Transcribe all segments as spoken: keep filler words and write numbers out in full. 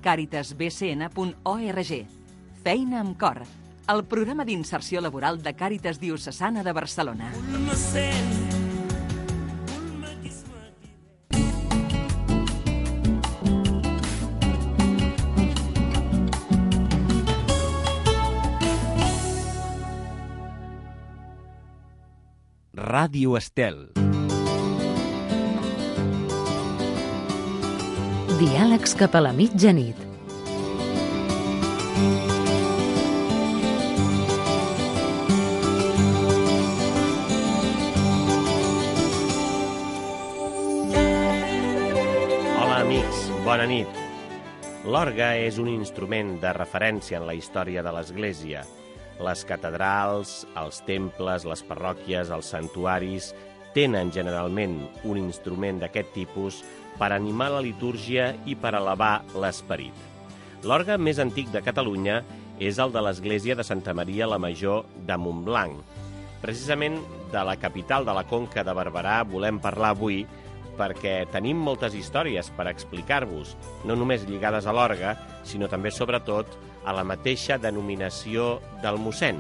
càritas b c n punt org. Feina amb cor, el programa d'inserció laboral de Càritas Diocesana de Barcelona. Ràdio Estel. Diàlegs cap a la mitjanit. Hola, amics, bona nit. L'orgue és un instrument de referència en la història de l'Església. Les catedrals, els temples, les parròquies, els santuaris tenen generalment un instrument d'aquest tipus per animar la litúrgia i per elevar l'esperit. L'orgue més antic de Catalunya és el de l'església de Santa Maria la Major de Montblanc. Precisament de la capital de la Conca de Barberà volem parlar avui perquè tenim moltes històries per explicar-vos, no només lligades a l'orgue, sinó també, sobretot, a la mateixa denominació del mossèn,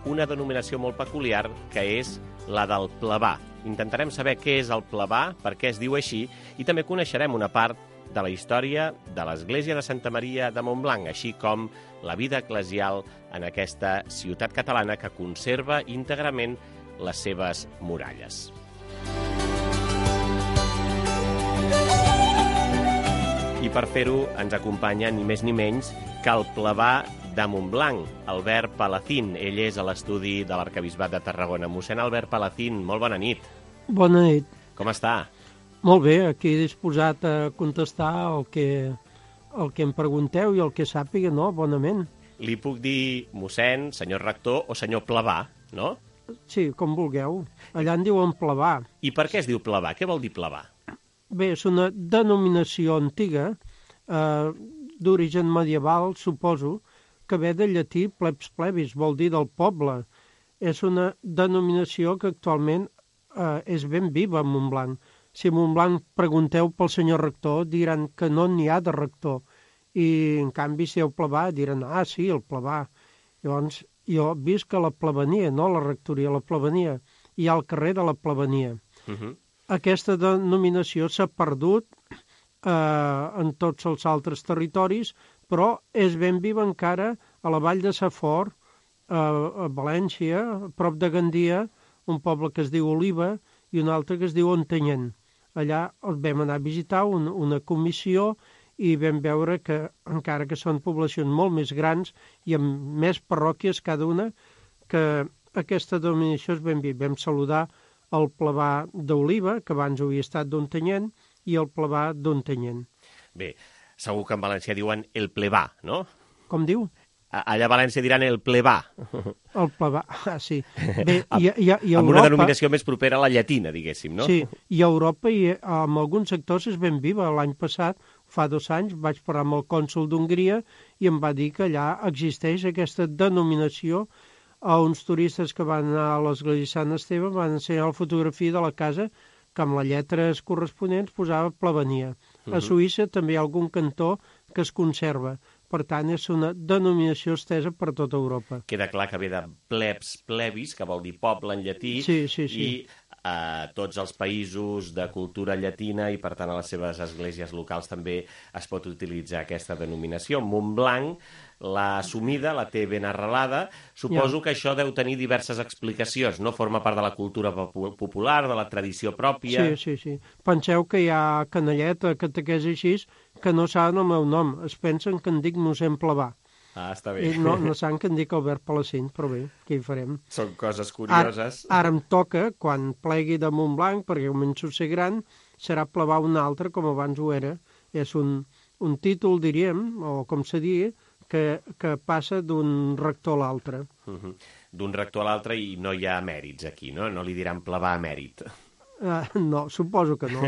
una denominació molt peculiar que és la del plebà. Intentarem saber què és el plebà, per què es diu així, i també coneixerem una part de la història de l'església de Santa Maria de Montblanc, així com la vida eclesial en aquesta ciutat catalana que conserva íntegrament les seves muralles. I per fer-ho ens acompanya ni més ni menys que el plebà de Montblanc, Albert Palacín. Ell és a l'estudi de l'Arquebisbat de Tarragona. Mossèn Albert Palacín, molt bona nit. Bona nit. Com està? Molt bé, aquí disposat a contestar el que, el que em pregunteu i el que sàpiga, no? Bonament. Li puc dir mossèn, senyor rector o senyor plebà, no? Sí, com vulgueu. Allà en diuen plebà. I per què es diu plebà? Què vol dir plebà? Bé, és una denominació antiga, eh, d'origen medieval, suposo, que ve del llatí plebs plebis, vol dir del poble. És una denominació que actualment eh, és ben viva a Montblanc. Si a Montblanc pregunteu pel senyor rector, diran que no n'hi ha de rector. I, en canvi, si heu plebà, diran, ah, sí, el plebà. Llavors, jo visc a la plebania, no a la rectoria, a la plebania. Hi ha el carrer de la plebania. Uh -huh. Aquesta denominació s'ha perdut eh, en tots els altres territoris, però és ben viva encara a la vall de Safor, eh, a València, a prop de Gandia, un poble que es diu Oliva i un altre que es diu Ontanyent. Allà els vam anar a visitar un, una comissió i vam veure que, encara que són poblacions molt més grans i amb més parròquies cada una, que aquesta denominació és ben viva. Vam saludar el plebà d'Oliva, que abans havia estat d'Ontanyent, i el plebà d'Ontanyent. Bé, segur que en València diuen el plebà, no? Com diu? Allà a València diran el plebà. El plebà, ah, sí. Bé, i, i, i amb Europa, una denominació més propera a la llatina, diguéssim, no? Sí, i a Europa i en alguns sectors és ben viva. L'any passat, fa dos anys, vaig parlar amb el cònsol d'Hongria i em va dir que allà existeix aquesta denominació. A uns turistes que van anar a l'església de Sant Esteve van ensenyar la fotografia de la casa que amb les lletres corresponents posava plebania. Uh-huh. A Suïssa també hi ha algun cantó que es conserva. Per tant, és una denominació estesa per tota Europa. Queda clar que ve de plebs plebis, que vol dir poble en llatí, sí, sí, sí. i a tots els països de cultura llatina i, per tant, a les seves esglésies locals també es pot utilitzar aquesta denominació. Montblanc l'ha assumida, la té ben arrelada. Suposo ja. que això deu tenir diverses explicacions, no? Forma part de la cultura popular, de la tradició pròpia... Sí, sí, sí. Penseu que hi ha canalleta, catequesi així, que no saben el meu nom. Es pensen que em dic mossèn Plebà. Ah, està bé. I no, no saben que em dic Albert Palacín, però bé, què hi farem? Són coses curioses. Ara, ara em toca, quan plegui de Montblanc, perquè començo a ser gran, serà Plebà un altre, com abans ho era. És un, un títol, diríem, o com se digui, que, que passa d'un rector a l'altre. Uh -huh. D'un rector a l'altre i no hi ha mèrits aquí, no? No li diran Plebà emèrit. Uh, no, suposo que no.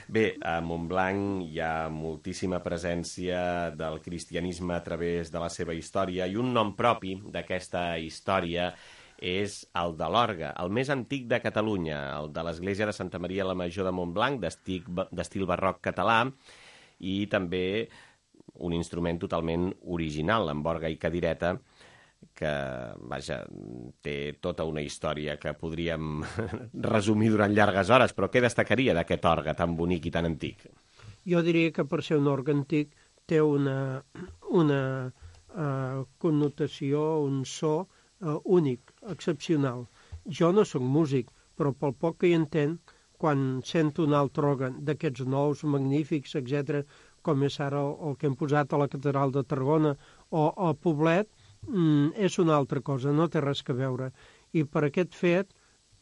Bé, a Montblanc hi ha moltíssima presència del cristianisme a través de la seva història i un nom propi d'aquesta història és el de l'orgue, el més antic de Catalunya, el de l'església de Santa Maria la Major de Montblanc, d'estil barroc català, i també un instrument totalment original, amb orgue i cadireta, que, vaja, té tota una història que podríem resumir durant llargues hores, però què destacaria d'aquest orgue tan bonic i tan antic? Jo diria que per ser un orgue antic té una, una uh, connotació, un so uh, únic, excepcional. Jo no sóc músic, però pel poc que hi entenc, quan sento un altre orgue d'aquests nous, magnífics, etcètera, com és ara el, el que hem posat a la Catedral de Tarragona o a Poblet, mm, és una altra cosa, no té res que veure. I per aquest fet,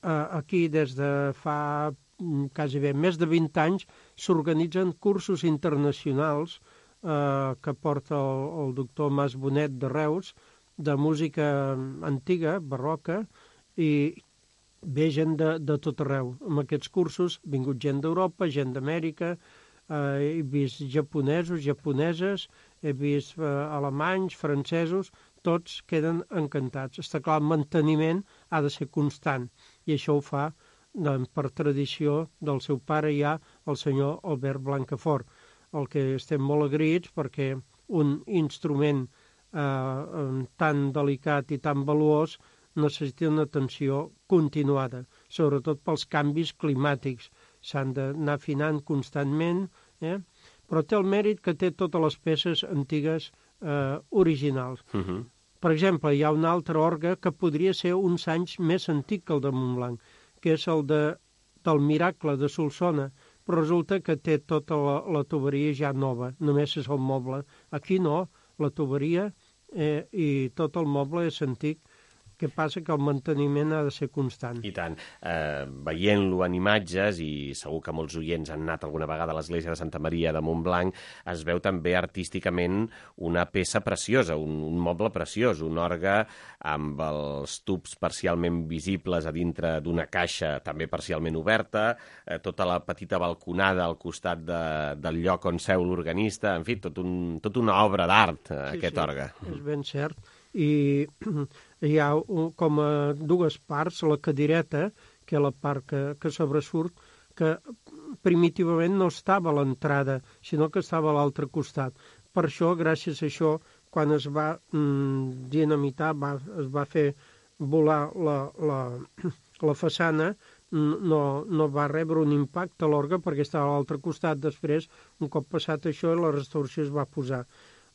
eh, aquí des de fa mm, quasi bé més de vint anys s'organitzen cursos internacionals eh, que porta el, el doctor Mas Bonet de Reus, de música antiga, barroca, i ve gent de, de tot arreu. En aquests cursos ha vingut gent d'Europa, gent d'Amèrica, eh, he vist japonesos, japoneses, he vist eh, alemanys, francesos, tots queden encantats. Està clar, el manteniment ha de ser constant, i això ho fa doncs, per tradició del seu pare ja, el senyor Albert Blancafort, el que estem molt agraïts perquè un instrument eh, tan delicat i tan valuós necessita una atenció continuada, sobretot pels canvis climàtics. S'han d'anar afinant constantment, eh? Però té el mèrit que té totes les peces antigues eh, originals. Uh-huh. Per exemple, hi ha un altre orgue que podria ser uns anys més antic que el de Montblanc, que és el de, del Miracle de Solsona, però resulta que té tota la, la tuberia ja nova, només és el moble. Aquí no, la tuberia eh, i tot el moble és antic. Què passa? Que el manteniment ha de ser constant. I tant. Eh, veient-lo en imatges, i segur que molts oients han anat alguna vegada a l'església de Santa Maria de Montblanc, es veu també artísticament una peça preciosa, un, un moble preciós, un orgue amb els tubs parcialment visibles a dintre d'una caixa també parcialment oberta, eh, tota la petita balconada al costat de, del lloc on seu l'organista, en fi, tot un, tot una obra d'art, eh, Sí, aquest sí, orgue. és ben cert. I hi ha un, com a dues parts, la cadireta, que és la part que, que sobresurt, que primitivament no estava a l'entrada, sinó que estava a l'altre costat. Per això, gràcies a això, quan es va mm, dinamitar, va, es va fer volar la, la, la façana, no, no va rebre un impacte a l'orgue perquè estava a l'altre costat. Després, un cop passat això, la restauració es va posar.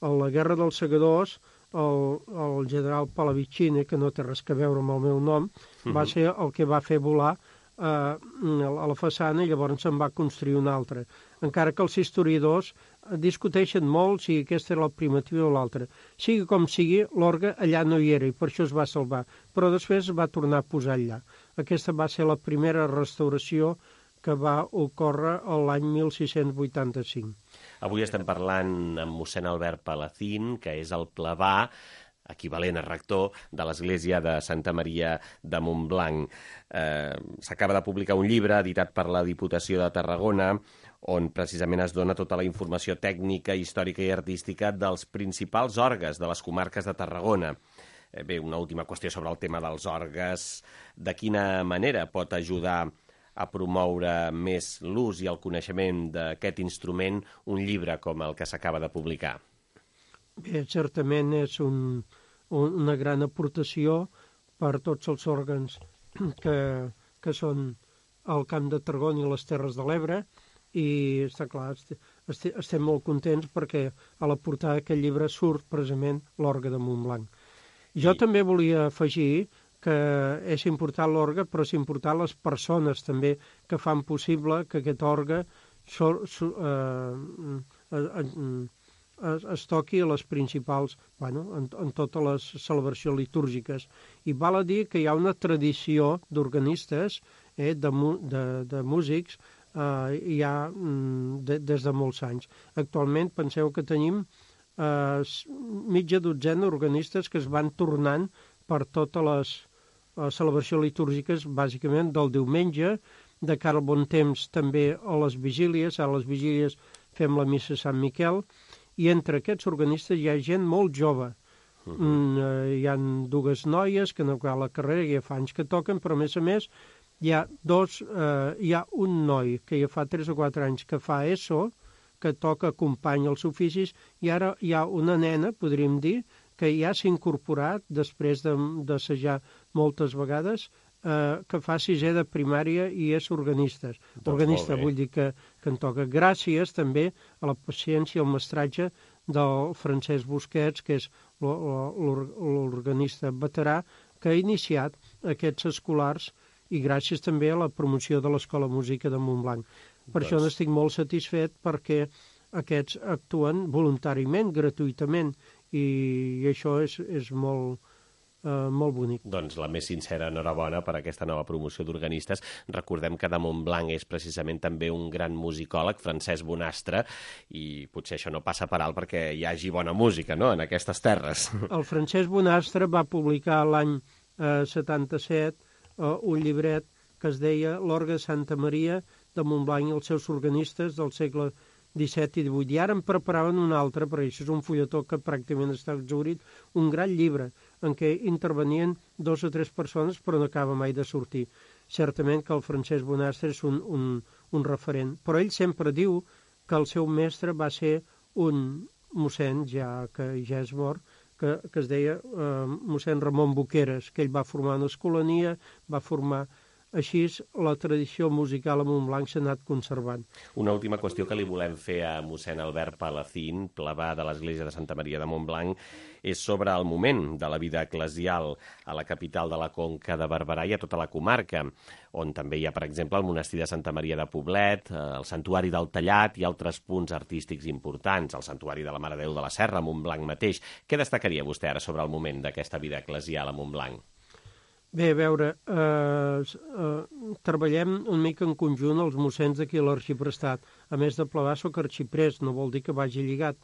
A la Guerra dels Segadors, el, el general Pallavicini, que no té res a veure amb el meu nom, uh-huh. va ser el que va fer volar eh, a la façana, i llavors se'n va construir una altra. Encara que els historiadors discuteixen molt si aquesta era la primitiva o l'altra. Sigui com sigui, l'orgue allà no hi era i per això es va salvar, però després es va tornar a posar allà. Aquesta va ser la primera restauració que va ocórrer l'any mil sis-cents vuitanta-cinc. Avui estem parlant amb mossèn Albert Palacín, que és el plebà, equivalent a rector, de l'església de Santa Maria de Montblanc. Eh, S'acaba de publicar un llibre editat per la Diputació de Tarragona, on precisament es dona tota la informació tècnica, històrica i artística dels principals orgues de les comarques de Tarragona. Eh, bé, una última qüestió sobre el tema dels orgues. De quina manera pot ajudar a promoure més l'ús i el coneixement d'aquest instrument un llibre com el que s'acaba de publicar? Bé, certament és un, un, una gran aportació per tots els òrgans que, que són al Camp de Tarragona i les Terres de l'Ebre, i està clar, est estem molt contents perquè a la portada d'aquest llibre surt precisament l'orgue de Montblanc. Jo I... també volia afegir que és important l'orgue, però és important les persones també que fan possible que aquest orgue so, so, eh, es, es toqui a les principals, bueno, en, en totes les celebracions litúrgiques. I val a dir que hi ha una tradició d'organistes, eh, de, de, de músics, eh, hi ha de, des de molts anys. Actualment penseu que tenim eh, mitja dotzena d'organistes que es van tornant per totes les les celebracions litúrgiques, bàsicament del diumenge, de cara al bon temps també a les vigílies, a les vigílies fem la missa a Sant Miquel, i entre aquests organistes hi ha gent molt jove. Uh-huh. mm, hi ha dues noies que no acaba la carrera, que ja fa anys que toquen, però a més a més hi ha dos, eh, hi ha un noi que ja fa tres o quatre anys que fa ESO, que toca acompanya els oficis, i ara hi ha una nena, podríem dir, que ja s'ha incorporat, després d'assajar moltes vegades, eh, que fa sisè de primària i és organista. Doncs organista, vull dir que, que en toca. Gràcies també a la paciència i al mestratge del Francesc Busquets, que és l'organista veterà, que ha iniciat aquests escolars, i gràcies també a la promoció de l'Escola Música de Montblanc. Per doncs... això n'estic molt satisfet, perquè aquests actuen voluntàriament, gratuïtament, i, i això és, és molt, eh, molt bonic. Doncs la més sincera enhorabona per aquesta nova promoció d'organistes. Recordem que de Montblanc és precisament també un gran musicòleg, Francesc Bonastre, i potser això no passa per alt perquè hi hagi bona música, no?, en aquestes terres. El Francesc Bonastre va publicar l'any eh, setanta-set eh, un llibret que es deia L'orgue de Santa Maria de Montblanc i els seus organistes del segle disset i divuit. I ara en preparaven un altre, perquè això és un fulletó que pràcticament està exhaurit, un gran llibre en què intervenien dos o tres persones, però no acaba mai de sortir. Certament que el Francesc Bonastre és un, un, un referent, però ell sempre diu que el seu mestre va ser un mossèn, ja que ja és mort, que, que es deia eh, mossèn Ramon Boqueres, que ell va formar una escolania, va formar... Així, la tradició musical a Montblanc s'ha anat conservant. Una última qüestió que li volem fer a mossèn Albert Palacín, plebà de l'església de Santa Maria de Montblanc, és sobre el moment de la vida eclesial a la capital de la Conca de Barberà i a tota la comarca, on també hi ha, per exemple, el monestir de Santa Maria de Poblet, el santuari del Tallat i altres punts artístics importants, el santuari de la Mare de Déu de la Serra, a Montblanc mateix. Què destacaria vostè ara sobre el moment d'aquesta vida eclesial a Montblanc? Bé, a veure, eh, eh, treballem una mica en conjunt els mossens d'aquí a l'Arxiprestat. A més de plegar, soc arxiprès, no vol dir que vagi lligat,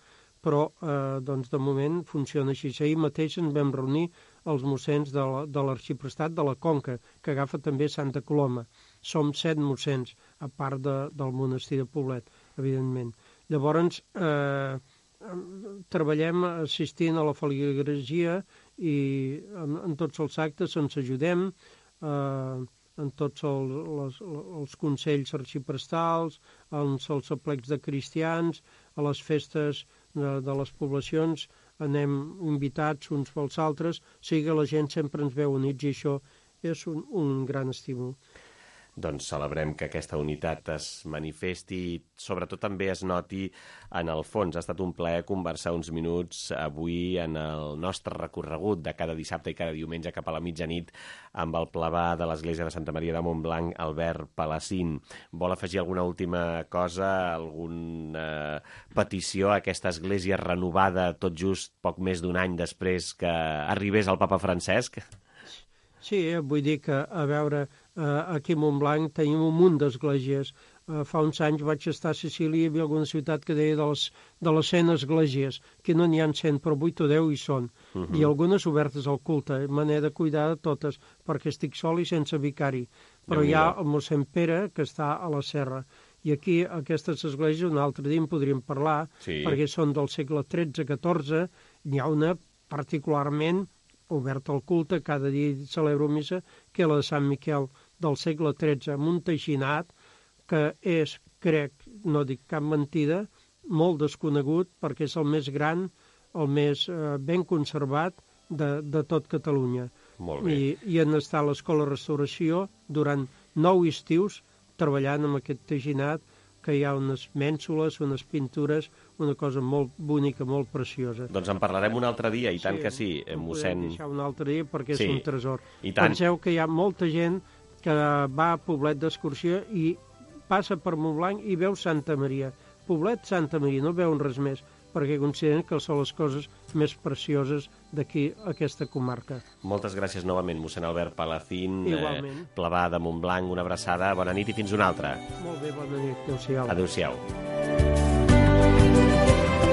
però eh, doncs de moment funciona així. Ahir mateix ens vam reunir els mossens de l'Arxiprestat de la Conca, que agafa també Santa Coloma. Som set mossens, a part de, del monestir de Poblet, evidentment. Llavors, eh, treballem assistint a la feligresia i en, en tots els actes ens ajudem, eh, en tots el, les, els consells arxiprestals, en els aplecs de cristians, a les festes de, de les poblacions, anem invitats uns pels altres, o sigui que la gent sempre ens veu units i això és un, un gran estímul. Doncs celebrem que aquesta unitat es manifesti i sobretot també es noti en el fons. Ha estat un plaer conversar uns minuts avui en el nostre recorregut de cada dissabte i cada diumenge cap a la mitjanit amb el plebà de l'Església de Santa Maria de Montblanc, Albert Palacín. Vol afegir alguna última cosa, alguna petició a aquesta església renovada tot just poc més d'un any després que arribés el papa Francesc? Sí, vull dir que, a veure, aquí a Montblanc tenim un munt d'esglésies. Fa uns anys vaig estar a Sicília i hi havia alguna ciutat que deia de les, de les cent esglésies, que no n'hi ha cent, però vuit o deu hi són. Uh -huh. I algunes obertes al culte. Me n'he de cuidar de totes, perquè estic sol i sense vicari. Però hi ha el mossèn Pere, que està a la serra. I aquí, aquestes esglésies, un altre dia en podríem parlar, sí, perquè són del segle tretze catorze, n'hi ha una particularment obert al culte, cada dia celebro missa, que és la de Sant Miquel del segle tretze, amb un teixinat que és, crec, no dic cap mentida, molt desconegut, perquè és el més gran, el més eh, ben conservat de, de tot Catalunya. Molt bé. I, i han estat a l'Escola Restauració durant nou estius treballant amb aquest teixinat, que hi ha unes mènsules, unes pintures, una cosa molt bonica, molt preciosa. Doncs en parlarem un altre dia, i tant sí, que sí, mossèn. Podem deixar un altre dia perquè sí, és un tresor. I tant. Penseu que hi ha molta gent que va a Poblet d'excursió i passa per Montblanc i veu Santa Maria. Poblet, Santa Maria, no veuen res més, perquè consideren que són les coses més precioses d'aquí, aquesta comarca. Moltes gràcies novament, mossèn Albert Palacín, Igualment. Eh, plebà de Montblanc, una abraçada, bona nit i fins una altra. Molt bé, bona nit, adéu-siau. Adéu-siau.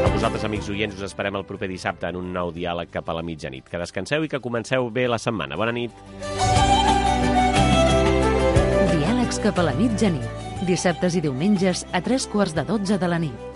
A vosaltres, amics oients, us esperem el proper dissabte en un nou diàleg cap a la mitjanit. Que descanseu i que comenceu bé la setmana. Bona nit. Diàlegs cap a la mitjanit. Dissabtes i diumenges a tres quarts de dotze de la nit.